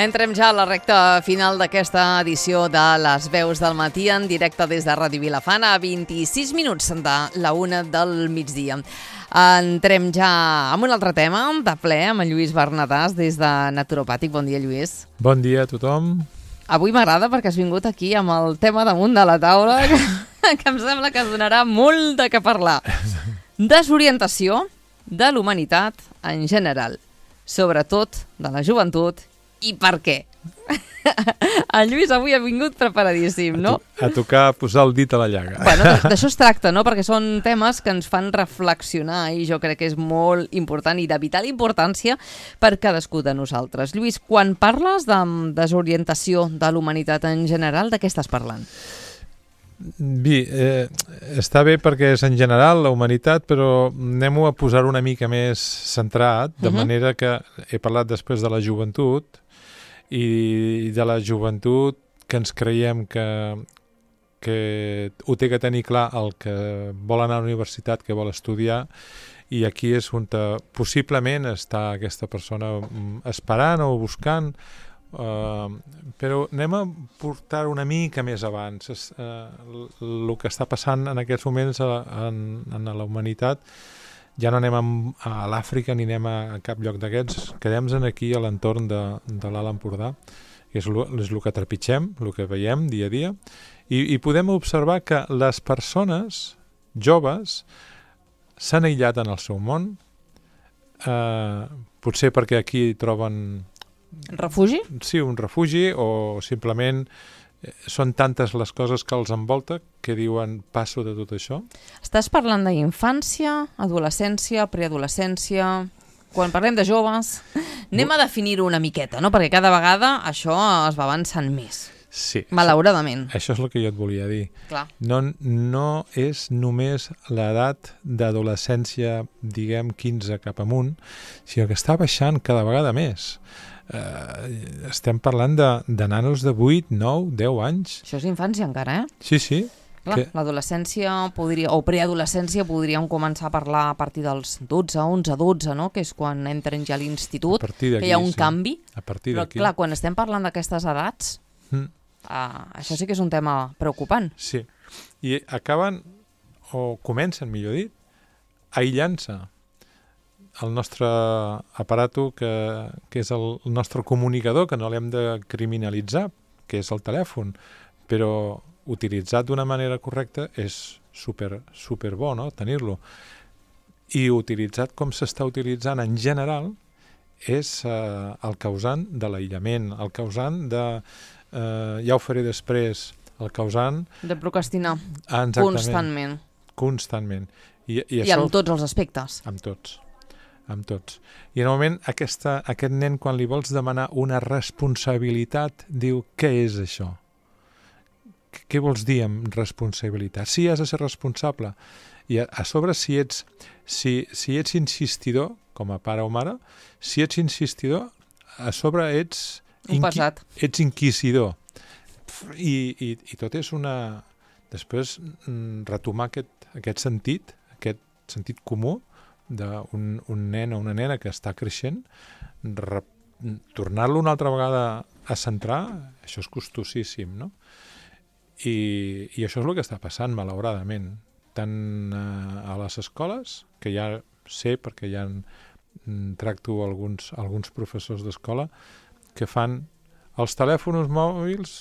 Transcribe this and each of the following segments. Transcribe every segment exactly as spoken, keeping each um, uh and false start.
Entrem ja a la recta final d'aquesta edició de Les Veus del Matí en directe des de Ràdio Vilafant a vint-i-sis minuts de la una del migdia. Entrem ja amb un altre tema de ple amb en Lluís Bernadàs des de Naturopàtic. Bon dia, Lluís. Bon dia a tothom. Avui m'agrada perquè has vingut aquí amb el tema damunt de la taula que, que em sembla que es donarà molt de què parlar. Desorientació de l'humanitat en general, sobretot de la joventut. I per què? En Lluís avui ha vingut preparadíssim, no? A, to a tocar, a posar el dit a la llaga. Bueno, d'això es tracta, no? Perquè són temes que ens fan reflexionar i jo crec que és molt important i de vital importància per cadascú de nosaltres. Lluís, quan parles de desorientació de l'humanitat en general, de què estàs parlant? Bé, eh, està bé perquè és en general la humanitat, però anem a posar una mica més centrat, de uh-huh. manera que he parlat després de la joventut, i de la joventut que ens creiem que, que ho té que tenir clar el que vol anar a la universitat, que vol estudiar, i aquí és on possiblement està aquesta persona esperant o buscant, uh, però anem a portar una mica més abans. Es, uh, el que està passant en aquests moments a, en, en la humanitat, ja no anem a, a l'Àfrica ni anem a, a cap lloc d'aquests, quedem aquí a l'entorn de, de l'Alt Empordà, que és el que trepitgem, el que veiem dia a dia, i, i podem observar que les persones joves s'han aïllat en el seu món, eh, potser perquè aquí troben... Refugi? Sí, un refugi, o simplement són tantes les coses que els envolta que diuen passo de tot això. Estàs parlant d'infància, adolescència, preadolescència... Quan parlem de joves, anem a definir-ho una miqueta, no? Perquè cada vegada això es va avançant més. Sí. Malauradament. Això, això és el que jo et volia dir. Clar. No, no és només l'edat d'adolescència, diguem, quinze cap amunt, sinó que està baixant cada vegada més. Uh, estem parlant de, de nanos de vuit, nou, deu anys. Això és infància encara, eh? Sí, sí. Clar, que... l'adolescència podria, o preadolescència podríem començar a parlar a partir dels dotze, onze, dotze, no? Que és quan entren ja a l'institut, que hi ha un sí. canvi. A partir però d'aquí. Clar, quan estem parlant d'aquestes edats, mm. uh, això sí que és un tema preocupant. Sí, i acaben, o comencen, millor dit, aïllant-se. El nostre aparato, que, que és el, el nostre comunicador, que no l'hem de criminalitzar, que és el telèfon, però utilitzat d'una manera correcta és super, super bo, no?, tenir-lo. I utilitzat com s'està utilitzant en general és eh, el causant de l'aïllament, el causant de, eh, ja ho faré després, el causant... De procrastinar, ah, constantment. Constantment. I, i, I això, amb tots els aspectes. Amb tots. amb tots. I en el moment aquesta, aquest nen, quan li vols demanar una responsabilitat, diu, què és això? Què vols dir amb responsabilitat? Sí, has de ser responsable. I a, a sobre, si ets, si, si ets insistidor, com a pare o mare, si ets insistidor, a sobre ets, inqui, ets inquisidor. I, i, I tot és una... Després, retomar aquest, aquest sentit, aquest sentit comú d'un un nen o una nena que està creixent, tornar-lo una altra vegada a centrar, això és costosíssim, no? I, i això és el que està passant, malauradament, tant a, a les escoles, que ja sé, perquè ja en, tracto alguns, alguns professors d'escola, que fan els telèfons mòbils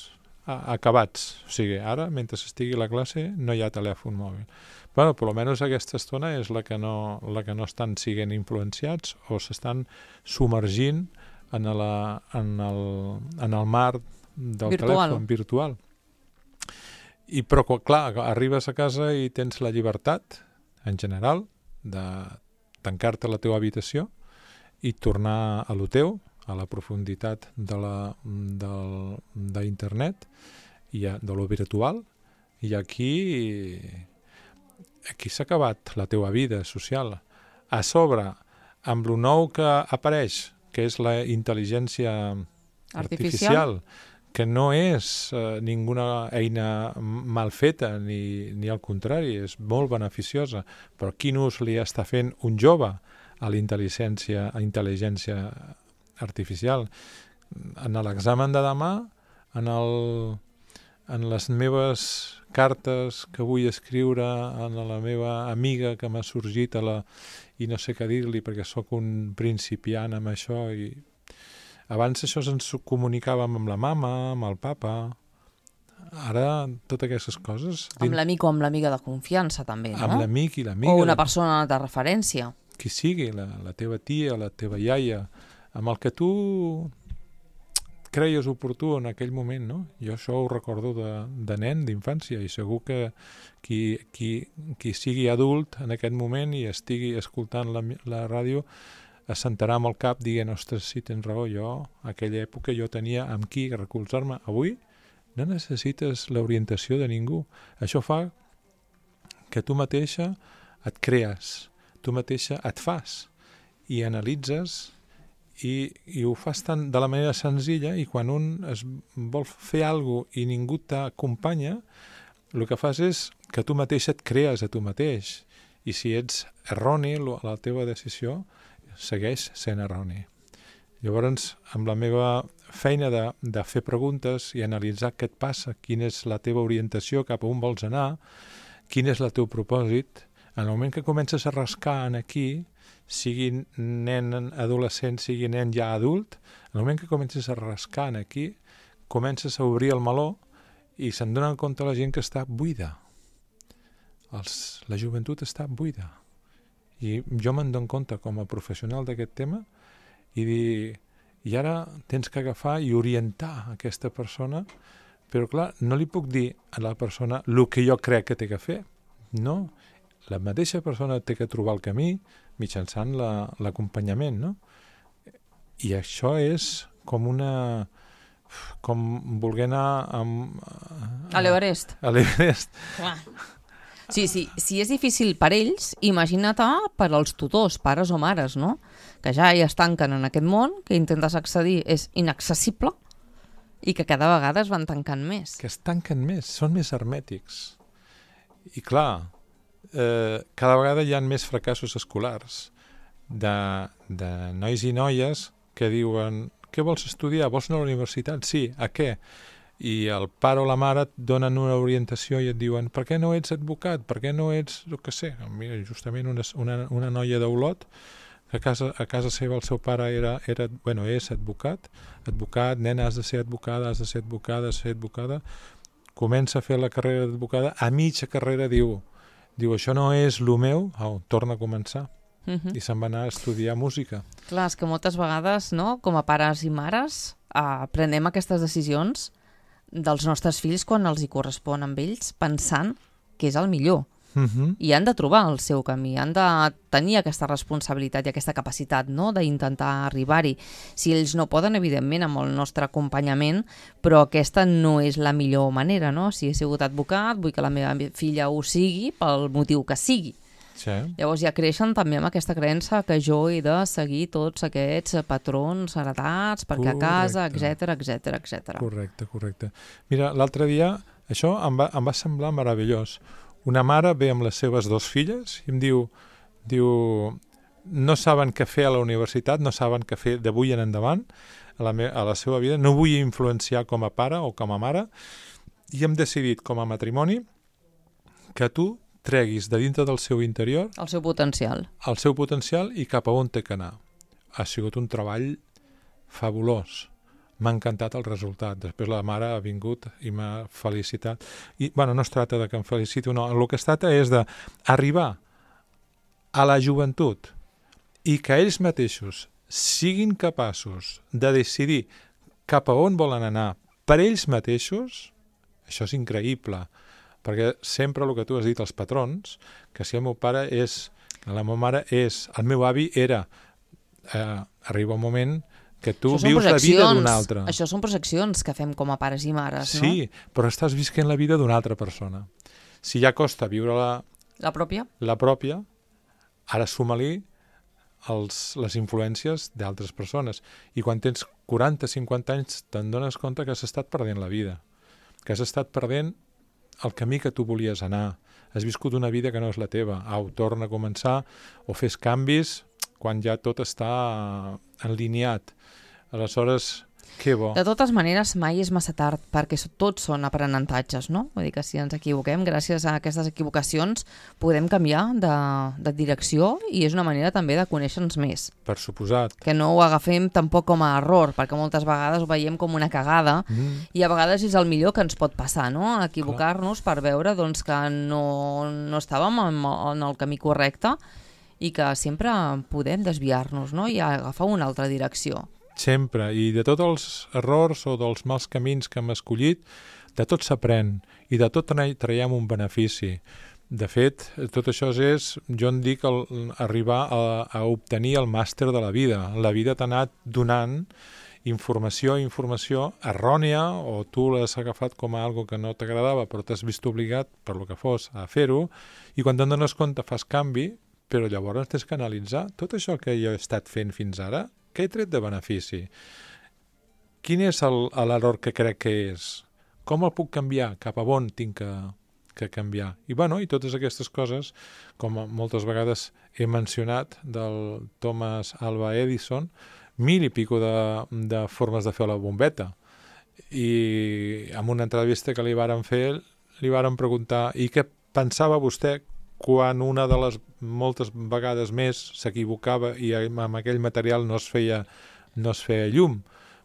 a, acabats. O sigui, ara, mentre estigui a la classe, no hi ha telèfon mòbil. Bueno, per almenys aquesta estona és la que no, la que no estan siguent influenciats o s'estan submergint en, la, en, el, en el mar del virtual. telèfon virtual. I, però, clar, arribes a casa i tens la llibertat, en general, de tancar-te a la teva habitació i tornar a lo teu, a la profunditat de la, del, d'internet, i a, de lo virtual, i aquí, aquí s'ha acabat la teva vida social. A sobre, amb lo nou que apareix, que és la intel·ligència artificial, artificial que no és eh, ninguna eina mal feta, ni, ni al contrari, és molt beneficiosa, però quin ús li està fent un jove a la intel·ligència, a intel·ligència artificial? en l'examen de demà, en, el, en les meves cartes que vull escriure, en la meva amiga que m'ha sorgit a la, i no sé què dir-li perquè sóc un principiant amb això. I abans això ens comunicàvem amb la mama, amb el papa. Ara, totes aquestes coses... Amb l'amic o amb l'amiga de confiança, també, no? Amb l'amic i l'amiga. O una persona de referència. Qui sigui, la, la teva tia, la teva iaia, amb el que tu creies oportú en aquell moment, no? Jo això ho recordo de, de nen, d'infància, i segur que qui, qui, qui sigui adult en aquest moment i estigui escoltant la, la ràdio es sentarà amb el cap dient, ostres, sí, tens raó, jo, a aquella època jo tenia amb qui recolzar-me. Avui no necessites l'orientació de ningú. Això fa que tu mateixa et crees, tu mateixa et fas i analitzes i, i ho fas tan, de la manera senzilla, i quan un es vol fer alguna cosa i ningú t'acompanya, el que fas és que tu mateix et crees a tu mateix, i si ets erroni, la teva decisió segueix sent erroni. Llavors, amb la meva feina de, de fer preguntes i analitzar què et passa, quina és la teva orientació, cap a on vols anar, quin és el teu propòsit, en el moment que comences a rascar en aquí, sigui nen adolescent, sigui nen ja adult, en el moment que comences a rascar en aquí, comences a obrir el meló i se'n donen compte la gent que està buida. Els, la joventut està buida. I jo me'n dono compte com a professional d'aquest tema i dir, i ara tens que agafar i orientar aquesta persona, però clar, no li puc dir a la persona el que jo crec que té que fer. No, la mateixa persona té que trobar el camí mitjançant l'acompanyament, no? I això és com una... com voler anar amb... A l'Everest. A l'Everest. Clar. Sí, sí, si és difícil per ells, imagina't per als tutors, pares o mares, no? Que ja hi es tanquen en aquest món, que intentes accedir és inaccessible i que cada vegada es van tancant més. Que es tanquen més, són més hermètics. I clar, eh, cada vegada hi ha més fracassos escolars de, de nois i noies que diuen, què vols estudiar? Vols anar a la universitat? Sí, a què? I el pare o la mare et donen una orientació i et diuen, per què no ets advocat? Per què no ets, el que sé, mira, justament una, una, una noia d'Olot, que a casa, a casa seva el seu pare era, era, bueno, és advocat, advocat, nena, has de ser advocada, has de ser advocada, has de ser advocada, comença a fer la carrera d'advocada, a mitja carrera diu, diu, això no és el meu, au, torna a començar. Uh-huh. I se'n va anar a estudiar música. Clar, és que moltes vegades, no, com a pares i mares, eh, prenem aquestes decisions dels nostres fills quan els hi correspon amb ells, pensant que és el millor. Uh-huh. I han de trobar el seu camí, han de tenir aquesta responsabilitat i aquesta capacitat, no?, d'intentar arribar-hi. Si ells no poden, evidentment, amb el nostre acompanyament, però aquesta no és la millor manera, no? Si he sigut advocat, vull que la meva filla ho sigui pel motiu que sigui. Sí. Llavors ja creixen també amb aquesta creença que jo he de seguir tots aquests patrons heretats perquè correcte. A casa, etcètera, etcètera, etcètera. Correcte, correcte. Mira, l'altre dia, això em va, em va semblar meravellós. Una mare ve amb les seves dues filles i em diu, diu, no saben què fer a la universitat, no saben què fer d'avui en endavant a la, me, a la seva vida, no vull influenciar com a pare o com a mare, i hem decidit com a matrimoni que tu treguis de dintre del seu interior el seu potencial el seu potencial i cap a on té que anar. Ha sigut un treball fabulós. M'ha encantat el resultat. Després la mare ha vingut i m'ha felicitat. I, bueno, no es tracta de que em feliciti o no. El que es tracta és d'arribar a la joventut i que ells mateixos siguin capaços de decidir cap a on volen anar per ells mateixos. Això és increïble. Perquè sempre el que tu has dit, els patrons, que si el meu pare és, la meva mare és, el meu avi era, eh, arriba un moment que tu vius la vida d'una altra. Això són projeccions que fem com a pares i mares, no? Sí, però estàs visquent la vida d'una altra persona. Si ja costa viure la... La pròpia? La pròpia, ara suma-li els, les influències d'altres persones. I quan tens quaranta cinquanta anys te'n dones compte que has estat perdent la vida, que has estat perdent el camí que tu volies anar. Has viscut una vida que no és la teva. Au, torna a començar o fes canvis quan ja tot està enlineat. Aleshores... Que bo. De totes maneres, mai és massa tard, perquè tots són aprenentatges, no? Vull dir que si ens equivoquem, gràcies a aquestes equivocacions, podem canviar de, de direcció i és una manera també de conèixer-nos més. Per suposat. Que no ho agafem tampoc com a error, perquè moltes vegades ho veiem com una cagada mm. i a vegades és el millor que ens pot passar, no? Equivocar-nos per veure doncs, que no, no estàvem en, en el camí correcte i que sempre podem desviar-nos, no? I agafar una altra direcció. Sempre, i de tots els errors o dels mals camins que hem escollit, de tot s'aprèn i de tot traiem un benefici. De fet, tot això és, jo en dic, el, arribar a, a obtenir el màster de la vida. La vida t'ha anat donant informació, informació errònia, o tu l'has agafat com a algo que no t'agradava, però t'has vist obligat, per lo que fos, a fer-ho, i quan te'n dones compte fas canvi, però llavors tens que analitzar tot això que jo he estat fent fins ara, què he tret de benefici? Quin és l'error que crec que és? Com el puc canviar? Cap a on tinc que, que canviar? I, bueno, i totes aquestes coses, com moltes vegades he mencionat, del Thomas Alva Edison, mil i pico de, de formes de fer la bombeta. I en una entrevista que li varen fer, li varen preguntar i què pensava vostè quan una de les moltes vegades més s'equivocava i amb aquell material no es feia, no es feia llum.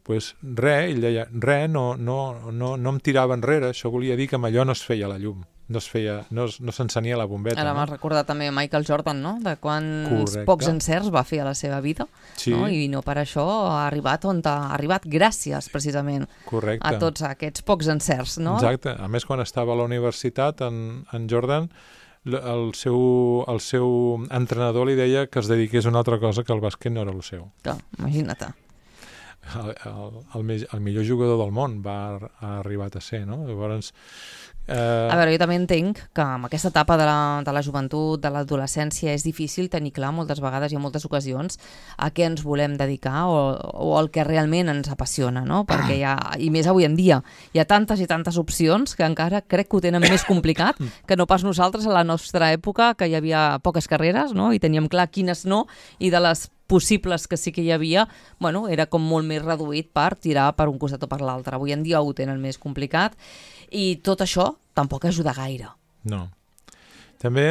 Pues res, ell deia, res, no, no, no, no em tirava enrere, això volia dir que amb allò no es feia la llum, no es feia, no, no s'encenia la bombeta. Ara no? m'has recordat també Michael Jordan, no? De quants Correcte. Pocs encerts va fer a la seva vida, sí. No? I no per això ha arribat on ha arribat gràcies, precisament, Correcte. A tots aquests pocs encerts, no? Exacte. A més, quan estava a la universitat, en, en Jordan, el seu, el seu entrenador li deia que es dediqués a una altra cosa, que el bàsquet no era el seu. Clar, imagina't. El, el, el, el millor jugador del món va ha arribat a ser, no? Llavors, eh... A veure, jo també entenc que amb aquesta etapa de la, de la joventut, de l'adolescència, és difícil tenir clar moltes vegades i en moltes ocasions a què ens volem dedicar o, o el que realment ens apassiona, no? Perquè hi ha, i més avui en dia, hi ha tantes i tantes opcions que encara crec que ho tenen més complicat que no pas nosaltres a la nostra època, que hi havia poques carreres, no? I teníem clar quines no, i de les possibles que sí que hi havia, bueno, era com molt més reduït per tirar per un costat o per l'altre. Avui en dia ho tenen més complicat i tot això tampoc ajuda gaire. No. També,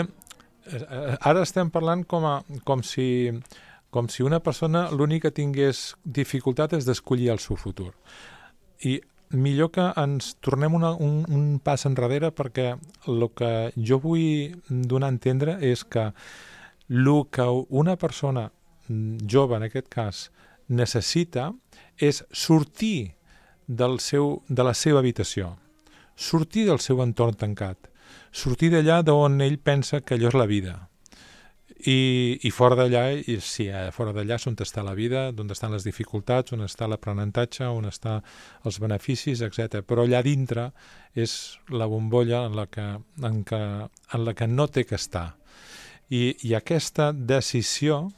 ara estem parlant com, a, com, si, com si una persona l'únic que tingués dificultat és d'escollir el seu futur. I millor que ens tornem una, un, un pas enrere, perquè el que jo vull donar a entendre és que el que una persona jove, en aquest cas, necessita és sortir del seu, de la seva habitació, sortir del seu entorn tancat, sortir d'allà d'on ell pensa que allò és la vida. I, i fora d'allà, i sí, fora d'allà és on està la vida, on estan les dificultats, on està l'aprenentatge, on estan els beneficis, etcètera. Però allà dintre és la bombolla en la que, en que, en la que no té que estar. I, i aquesta decisió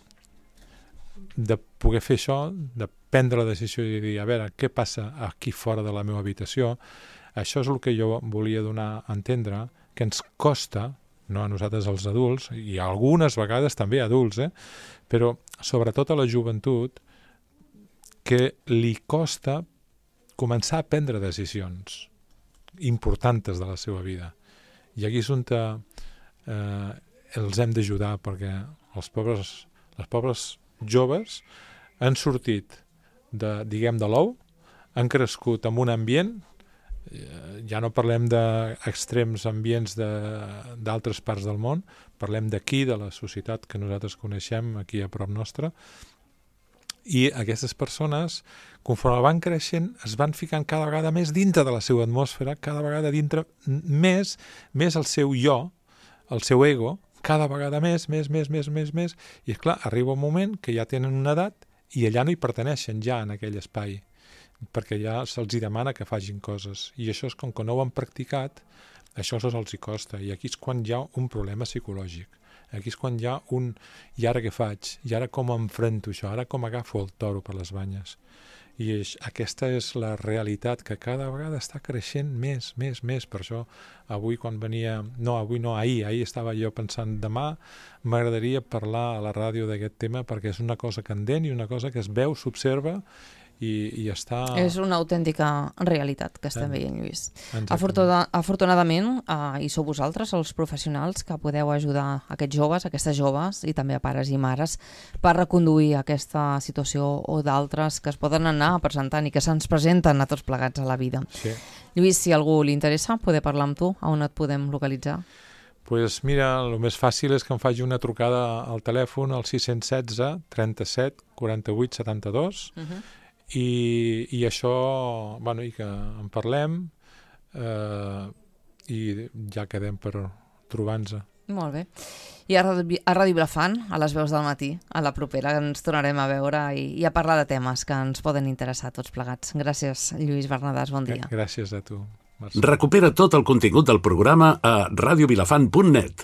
de poder fer això, de prendre la decisió i dir, a veure, què passa aquí fora de la meva habitació, això és el que jo volia donar a entendre, que ens costa, no a nosaltres els adults, i algunes vegades també adults, eh? Però sobretot a la joventut, que li costa començar a prendre decisions importants de la seva vida. I aquí és on eh, els hem d'ajudar, perquè els pobres, les pobres joves han sortit de, diguem, de l'ou, han crescut en un ambient, eh, ja no parlem d'extrems ambients d'altres parts del món, parlem d'aquí, de la societat que nosaltres coneixem aquí a prop nostre, i aquestes persones, conforme van creixent, es van ficant cada vegada més dintre de la seva atmosfera, cada vegada dintre més, més el seu jo, el seu ego, cada vegada més, més, més, més, més, més, i és clar, arriba un moment que ja tenen una edat i allà no hi perteneixen ja en aquell espai, perquè ja se'ls demana que facin coses, i això és com que no ho han practicat, això els hi costa, i aquí és quan hi ha un problema psicològic, aquí és quan hi ha un, i ara què faig, i ara com enfrento això, ara com agafo el toro per les banyes, i és, aquesta és la realitat que cada vegada està creixent més, més, més. Per això avui quan venia, no, avui no, ahir, ahir estava jo pensant, demà m'agradaria parlar a la ràdio d'aquest tema perquè és una cosa candent i una cosa que es veu, s'observa i, i està... És una autèntica realitat que estem en... veient, Lluís. Exactament. Afortunadament, eh, hi sou vosaltres, els professionals, que podeu ajudar aquests joves, aquestes joves, i també a pares i mares, per reconduir aquesta situació o d'altres que es poden anar presentant i que se'ns presenten a tots plegats a la vida. Sí. Lluís, si algú li interessa, poder parlar amb tu, on et podem localitzar? Pues mira, el més fàcil és que em faci una trucada al telèfon al sis un sis, trenta-set, quaranta-vuit, setanta-dos uh-huh. i, i això, bueno, i que en parlem eh, i ja quedem per trobar-nos. Molt bé. I a Ràdio, a Ràdio Vilafant, a les veus del matí, a la propera, ens tornarem a veure i, i a parlar de temes que ens poden interessar tots plegats. Gràcies, Lluís Bernadàs, bon dia. Gràcies a tu. Recupera tot el contingut del programa a radiovilafant punt net.